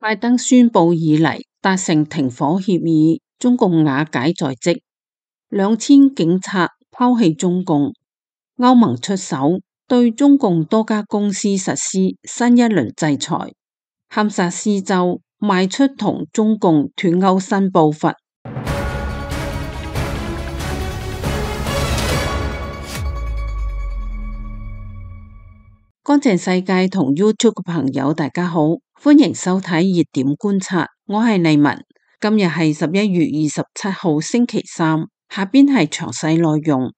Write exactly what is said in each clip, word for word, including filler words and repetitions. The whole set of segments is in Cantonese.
拜登宣布以嚟達成停火協議，中共瓦解在即，兩千警察拋棄中共，歐盟出手對中共多家公司實施新一輪制裁，堪薩斯州邁出同中共脫鈎新步伐。乾淨世界同 YouTube 嘅朋友大家好，歡迎收睇熱點觀察，我係麗文。今日係十一月二十七號星期三，下邊係詳細內容。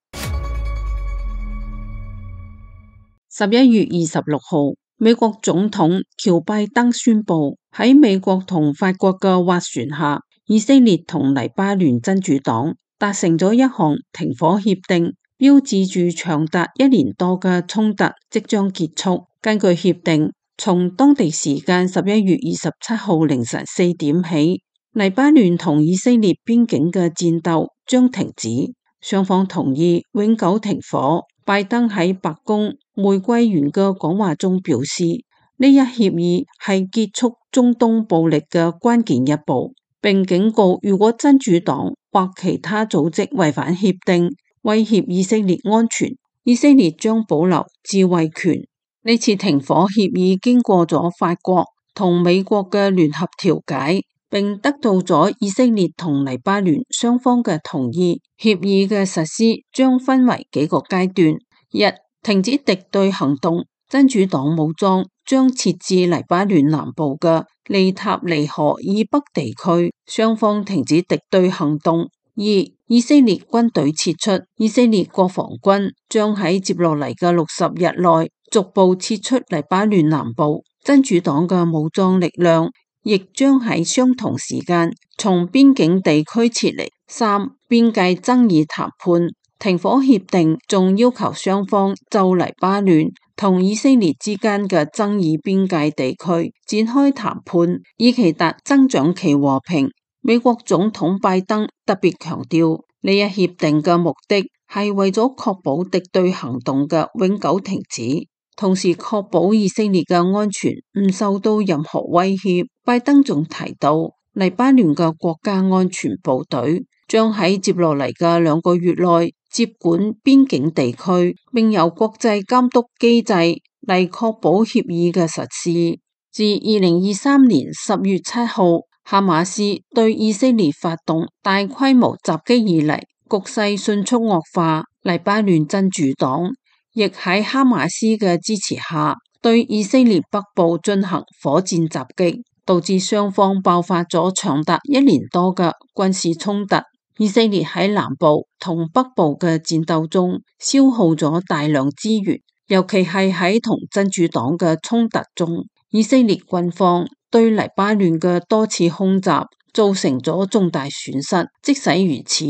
十一月二十六號，美國總統喬拜登宣布喺美國同法國嘅斡旋下，以色列同黎巴嫩真主黨達成咗一項停火協定，標誌住長達一年多嘅衝突即將結束。根據協定，從當地時間十一月二十七號凌晨四點起，黎巴嫩同以色列邊境嘅戰鬥將停止，雙方同意永久停火。拜登喺白宮玫瑰園嘅講話中表示，呢一協議係結束中東暴力嘅關鍵一步，並警告如果真主黨或其他組織違反協定，威脅以色列安全，以色列將保留自衛權。呢次停火協議經過咗法國同美國嘅聯合調解，並得到咗以色列同黎巴嫩雙方嘅同意。協議嘅實施將分為幾個階段：一、停止敵對行動，真主黨武裝將撤至黎巴嫩南部嘅利塔尼河以北地區，雙方停止敵對行動。二、以色列軍隊撤出，以色列國防軍將喺接落嚟嘅六十日內逐步撤出黎巴嫩南部，真主黨嘅武裝力量亦將喺相同時間從邊境地區撤離。三、邊界爭議談判，停火協定仲要求雙方就黎巴嫩同以色列之間嘅爭議邊界地區展開談判，以期達增長期和平。美國總統拜登特別強調，呢一協定嘅目的係為咗確保敵對行動嘅永久停止，同時確保以色列嘅安全唔受到任何威脅。拜登仲提到，黎巴嫩嘅國家安全部隊將喺接落嚟嘅兩個月內接管邊境地區，並由國際監督機制嚟確保協議嘅實施。自二零二三年十月七號哈馬斯對以色列發動大規模襲擊以嚟，局勢迅速惡化。黎巴嫩真主黨亦喺哈馬斯嘅支持下，對以色列北部進行火箭襲擊，導致雙方爆發咗長達一年多嘅軍事衝突。以色列喺南部同北部嘅戰鬥中消耗咗大量資源，尤其係喺同真主黨嘅衝突中，以色列軍方對黎巴嫩嘅多次空襲造成咗重大損失。即使如此，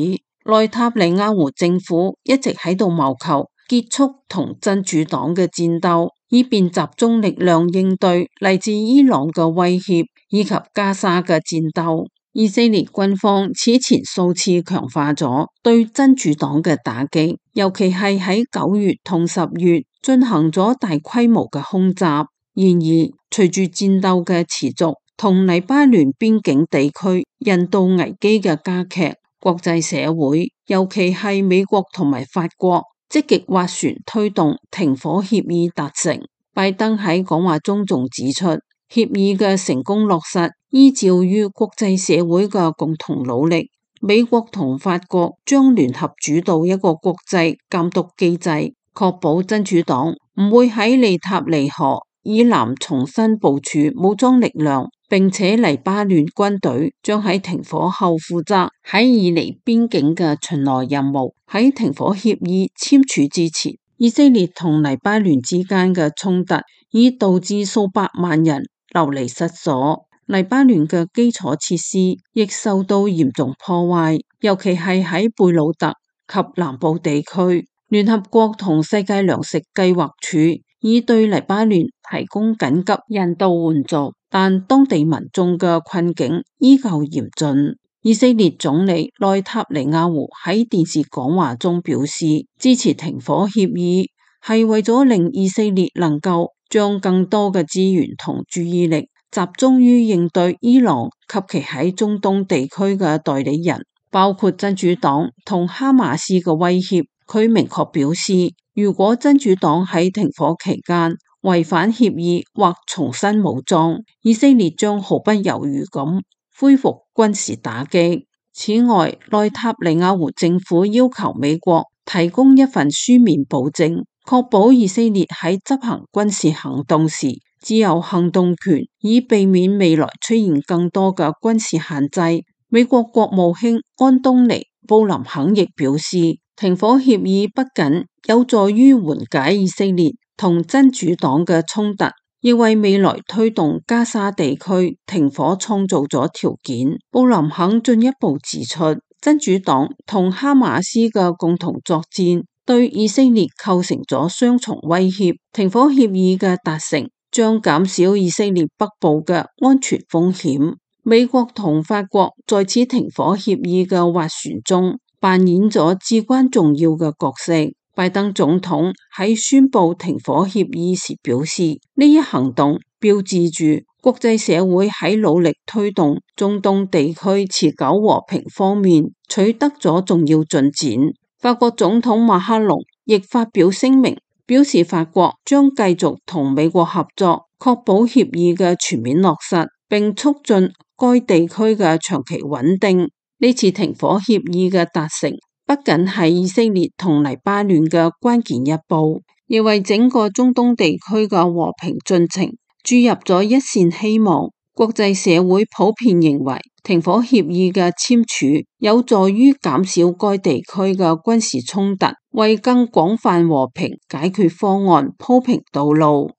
內塔尼亞胡政府一直喺度謀求結束同真主黨嘅戰鬥，以便集中力量應對嚟自伊朗嘅威脅以及加沙嘅戰鬥。以色列軍方此前數次強化咗對真主黨嘅打擊，尤其係喺九月同十月進行咗大規模嘅空襲。然而，隨住戰鬥嘅持續同黎巴嫩邊境地區人道危機嘅加劇，國際社會，尤其係美國同埋法國，積極斡旋推動停火協議達成。拜登喺講話中仲指出，協議嘅成功落實依照於國際社會嘅共同努力，美國同法國將聯合主導一個國際監督機制，確保真主黨唔會喺利塔尼河以南重新部署武裝力量，並且黎巴嫩軍隊將喺停火後負責喺以尼邊境嘅巡邏任務。喺停火協議簽署之前，以色列同黎巴嫩之間嘅衝突已導致數百萬人流離失所，黎巴嫩嘅基礎設施亦受到嚴重破壞，尤其係喺貝魯特及南部地區。聯合國同世界糧食計劃署已對黎巴嫩提供緊急人道援助，但當地民眾嘅困境依舊嚴峻。以色列總理內塔尼亞胡喺電視講話中表示，支持停火協議係為咗令以色列能夠將更多嘅資源同注意力集中於應對伊朗及其喺中東地區嘅代理人，包括真主黨同哈馬斯嘅威脅。佢明確表示，如果真主黨喺停火期間違反協議或重新武裝，以色列將毫不猶豫咁恢復軍事打擊。此外，內塔尼亞胡政府要求美國提供一份書面保證，確保以色列喺執行軍事行動時只有行動權，以避免未來出現更多嘅軍事限制。美國國務卿安東尼·布林肯亦表示，停火協議不僅有助於緩解以色列同真主黨嘅衝突，亦為未來推動加沙地區停火創造咗條件。布林肯進一步指出，真主黨同哈馬斯嘅共同作戰對以色列構成咗雙重威脅，停火協議嘅達成將減少以色列北部嘅安全風險。美國同法國在此停火協議嘅斡旋中扮演咗至關重要嘅角色。拜登總統喺宣布停火協議時表示，呢一行動標誌住國際社會喺努力推動中東地區持久和平方面取得咗重要進展。法國總統馬克龍亦發表聲明，表示法國將繼續同美國合作，確保協議嘅全面落實，並促進該地區嘅長期穩定。呢次停火協議嘅達成不僅係以色列同黎巴嫩嘅關鍵一步，亦為整個中東地區嘅和平進程注入咗一線希望。國際社會普遍認為，停火協議嘅簽署有助於減少該地區嘅軍事衝突，為更廣泛和平解決方案鋪平道路。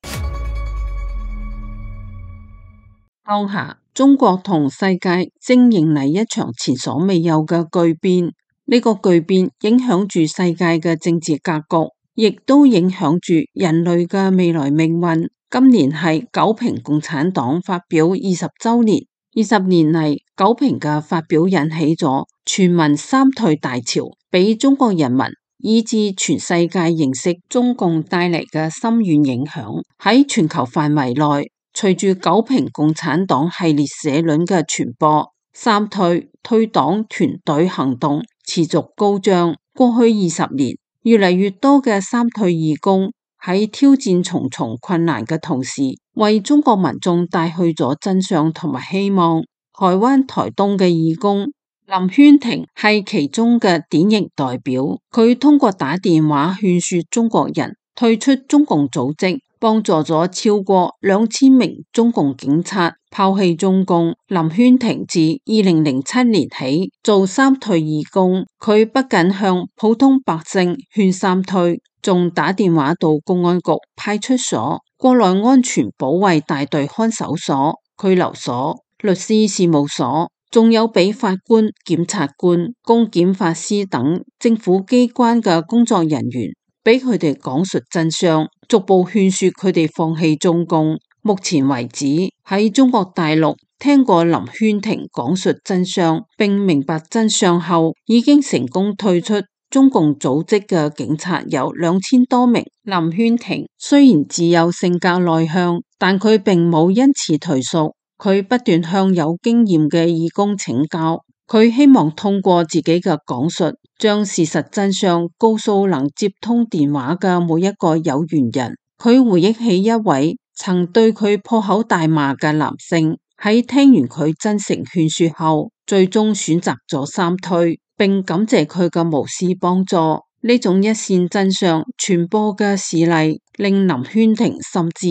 當下，中國同世界正迎嚟一場前所未有嘅巨變。呢個巨變影響住世界嘅政治格局，亦都影響住人類嘅未來命運。今年係九平共產黨發表二十週年，二十年嚟九平嘅發表引起咗全民三退大潮，俾中國人民以至全世界認識中共帶嚟嘅深遠影響。喺全球範圍內，隨住九平共產黨系列社論嘅傳播，三退退黨團隊行動持續高漲。過去二十年，越嚟越多嘅三退義工喺挑戰重重困難嘅同時，為中國民眾帶去咗真相同埋希望。台灣台東嘅義工林軒庭係其中嘅典型代表，佢通過打電話勸說中國人退出中共組織，幫助咗超過兩千名中共警察拋棄中共。林軒庭自二零零七年起做三退義工，佢不僅向普通百姓勸三退，仲打電話到公安局、派出所、國內安全保衛大隊看守所、拘留所、律師事務所，仲有俾法官、檢察官、公檢法師等政府機關嘅工作人員，俾佢哋講述真相，逐步勸說佢哋放棄中共。目前為止，喺中國大陸聽過林軒庭講述真相並明白真相後，已經成功退出中共組織嘅警察有兩千多名。林軒庭雖然自幼性格內向，但佢並冇因此退縮，佢不斷向有經驗嘅義工請教。佢希望通過自己嘅講述，將事實真相告訴能接通電話嘅每一個有緣人。佢回憶起一位曾對佢破口大罵嘅男性，喺聽完佢真誠勸說後，最終選擇咗三退，並感謝佢嘅無私幫助。呢種一線真相傳播嘅事例，令林軒庭深知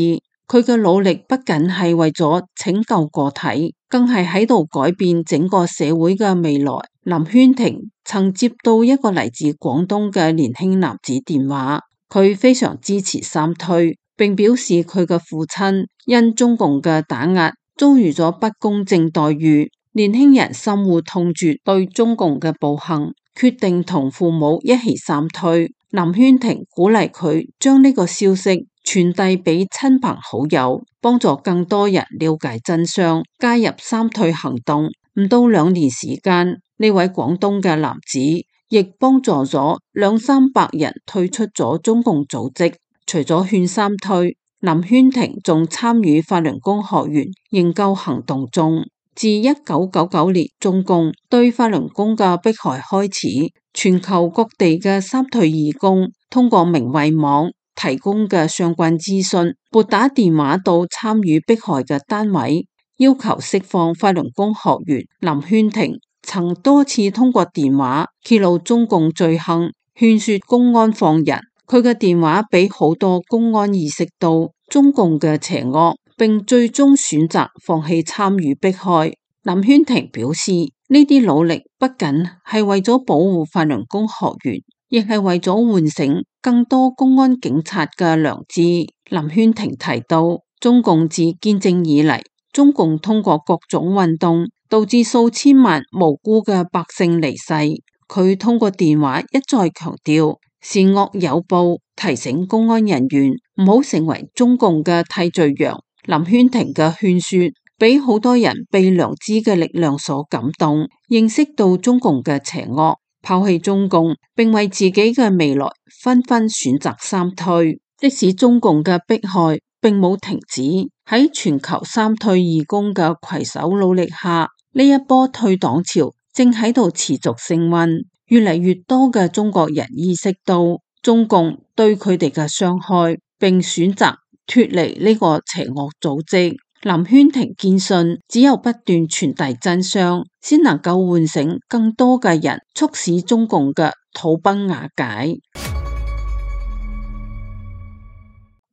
佢嘅努力不僅係為咗拯救個體，更係喺度改變整個社會嘅未來。林軒庭曾接到一個嚟自廣東嘅年輕男子電話，佢非常支持三退，並表示佢嘅父親因中共嘅打壓遭遇咗不公正待遇，年輕人深惡痛絕對中共嘅暴行，決定同父母一起三退。林軒庭鼓勵佢將呢個消息傳遞俾親朋好友，幫助更多人了解真相，加入三退行動。唔到兩年時間，呢位廣東嘅男子亦幫助咗兩三百人退出咗中共組織。除咗勸三退，林軒庭仲參與法輪功學員營救行動中。自一九九九年中共對法輪功嘅迫害開始，全球各地嘅三退義工通過明慧網提供嘅相關資訊，撥打電話到參與迫害嘅單位，要求釋放法輪功學員林軒庭。曾多次通過電話揭露中共罪行，勸說公安放人。佢嘅電話俾好多公安意識到中共嘅邪惡，並最終選擇放棄參與迫害。林軒庭表示，呢啲努力不僅係為咗保護法輪功學員，亦係為咗喚醒更多公安警察嘅良知。林軒庭提到，中共自建政以嚟，中共通過各種運動導致數千萬無辜嘅百姓離世。佢通過電話一再強調善惡有報，提醒公安人員唔好成為中共嘅替罪羊。林軒庭嘅勸說俾好多人被良知嘅力量所感動，認識到中共嘅邪惡，拋棄中共，並為自己嘅未來紛紛選擇三退。即使中共嘅迫害並冇停止，喺全球三退義工嘅攜手努力下，呢一波退黨潮正喺度持續升溫。越嚟越多嘅中國人意識到中共對佢哋嘅傷害，並選擇脫離呢個邪惡組織。林軒庭堅信，只有不斷傳遞真相，先能夠喚醒更多嘅人，促使中共嘅土崩瓦解。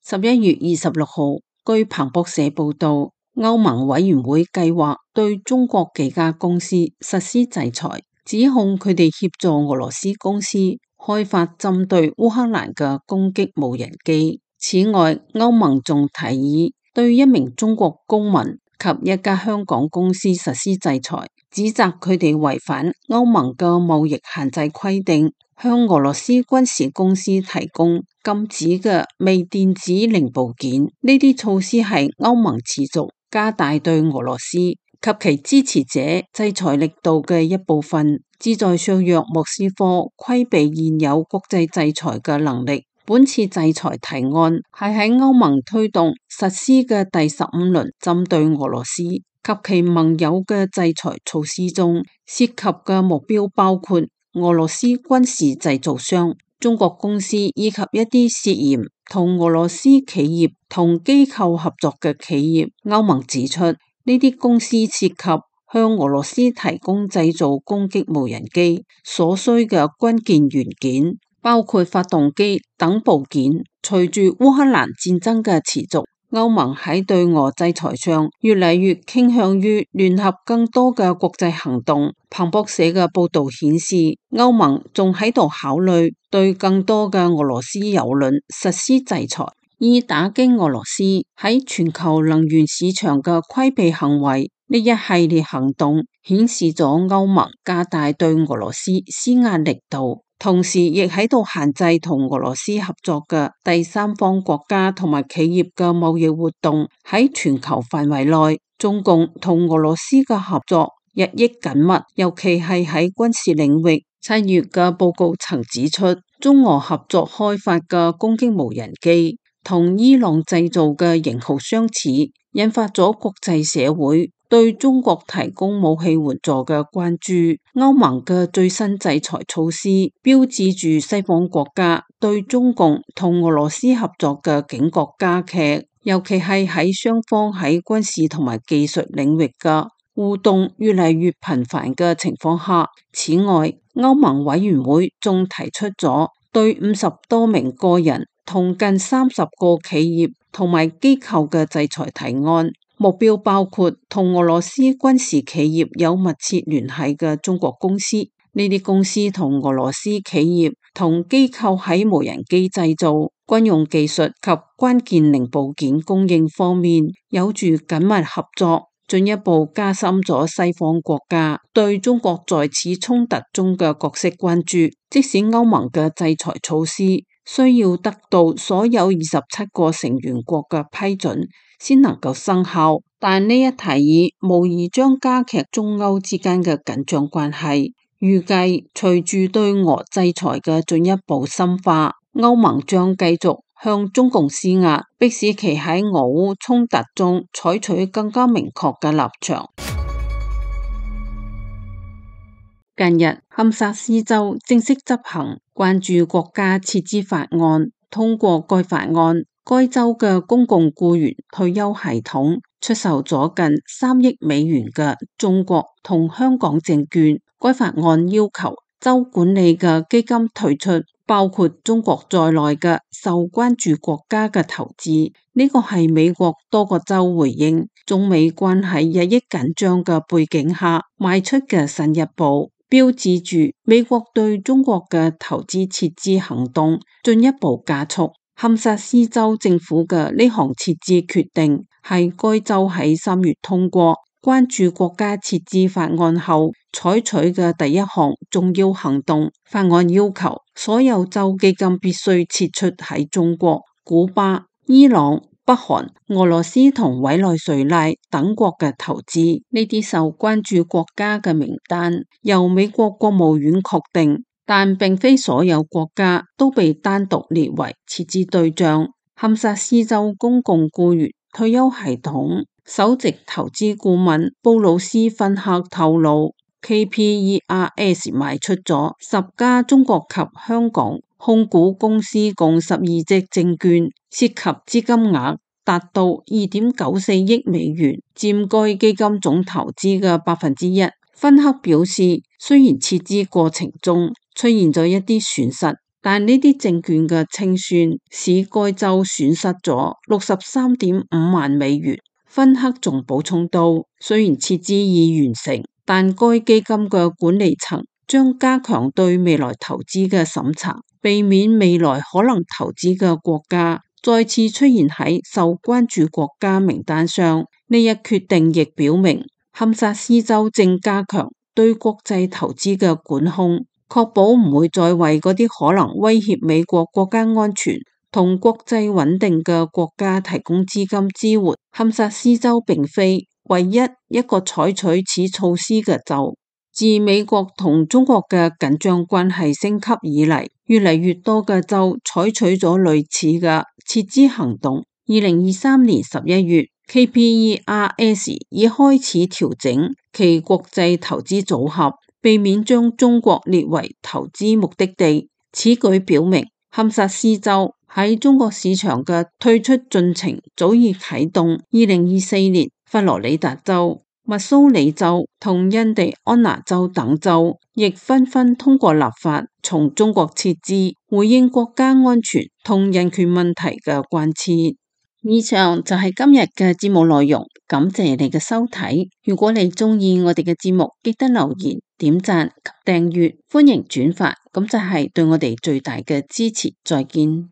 十一月二十六號，據彭博社報道，歐盟委員會計劃對中國幾家公司實施制裁，指控佢哋協助俄羅斯公司開發針對烏克蘭嘅攻擊無人機。此外，歐盟仲提議對一名中國公民及一家香港公司實施制裁，指責佢哋違反歐盟嘅貿易限制規定，向俄羅斯軍事公司提供禁止嘅微電子零部件。呢啲措施係歐盟持續加大對俄羅斯及其支持者制裁力度嘅一部分，旨在削弱莫斯科規避現有國際制裁嘅能力。本次制裁提案係喺歐盟推動實施嘅第十五輪針對俄羅斯及其盟友嘅制裁措施中，涉及嘅目標包括俄羅斯軍事製造商、中國公司以及一啲涉嫌同俄羅斯企業同機構合作嘅企業。歐盟指出，呢啲公司涉及向俄羅斯提供製造攻擊無人機所需嘅關鍵元件，包括發動機等部件。隨住烏克蘭戰爭嘅持續，歐盟喺對俄制裁上越嚟越傾向於聯合更多嘅國際行動。彭博社嘅報道顯示，歐盟仲喺度考慮對更多嘅俄羅斯油輪實施制裁，以打擊俄羅斯喺全球能源市場嘅規避行為。呢一系列行動顯示咗歐盟加大對俄羅斯施壓力度，同時亦喺度限制同俄羅斯合作嘅第三方國家同埋企業嘅貿易活動。喺全球範圍內，中共同俄羅斯嘅合作日益緊密，尤其係喺軍事領域。七月嘅報告曾指出，中俄合作開發嘅攻擊無人機同伊朗製造嘅型號相似，引發咗國際社會對中國提供武器援助嘅關注。歐盟嘅最新制裁措施標誌住西方國家對中共同俄羅斯合作嘅警覺加劇，尤其係喺雙方喺軍事同埋技術領域嘅互動越嚟越頻繁嘅情況下。此外，歐盟委員會仲提出咗對五十多名個人同近三十個企業同埋機構嘅制裁提案，目標包括同俄羅斯軍事企業有密切聯繫嘅中國公司。呢啲公司同俄羅斯企業同機構喺無人機製造、軍用技術及關鍵零部件供應方面有住緊密合作，進一步加深咗西方國家對中國在此衝突中嘅角色關注。即使歐盟嘅制裁措施需要得到所有二十七個成員國嘅批准先能夠生效，但呢一提議無疑將加劇中歐之間嘅緊張關係。預計隨住對俄制裁嘅進一步深化，歐盟將繼續向中共施壓，迫使其喺俄烏衝突中採取更加明確嘅立場。近日，堪薩斯州正式執行關注國家撤資法案，通過該法案，該州嘅公共僱員退休系統出售咗近三億美元嘅中國同香港證券。該法案要求州管理嘅基金退出包括中國在內嘅受關注國家嘅投資。呢個係美國多個州回應中美關係日益緊張嘅背景下邁出嘅新一步，標誌住美國對中國嘅投資撤資行動進一步加速。堪薩斯州政府嘅呢項撤資決定係該州喺三月通過關注國家撤資法案後採取嘅第一項重要行動。法案要求所有州基金必須撤出喺中國、古巴、伊朗、北韓、俄羅斯同委內瑞拉等國嘅投資。呢啲受關注國家嘅名單由美國國務院確定，但並非所有國家都被單獨列為撤資對象。堪薩斯州公共僱員退休系統首席投資顧問布魯斯芬克透露 ，K P E R S 賣出咗十家中國及香港控股公司共十二隻證券，涉及資金額達到二點九四億美元，佔該基金總投資嘅百分之一。芬克表示，雖然撤資過程中出現咗一啲損失，但呢啲證券嘅清算使該州損失咗六十三點五萬美元。芬克仲補充到，雖然撤資已完成，但該基金嘅管理層將加強對未來投資嘅審查，避免未來可能投資嘅國家再次出現喺受關注國家名單上。呢一決定亦表明，堪薩斯州正加強對國際投資嘅管控，確保唔會再為嗰啲可能威脅美國國家安全同國際穩定嘅國家提供資金支援。堪薩斯州並非唯一一個採取此措施嘅州。自美國同中國嘅緊張關係升級以嚟，越嚟越多嘅州採取咗類似嘅撤資行動。二零二三年十一月，K P E R S 已開始調整其國際投資組合，避免將中國列為投資目的地。此舉表明，堪薩斯州喺中國市場嘅退出進程早已啟動。二零二四年，佛羅里達州、密蘇里州同印第安納州等州亦紛紛通過立法從中國撤資，回應國家安全同人權問題嘅關切。以上就係今日嘅節目內容，感謝你嘅收睇。如果你中意我哋嘅節目，記得留言、點讚及訂閱，歡迎轉發，咁就係對我哋最大嘅支持。再見。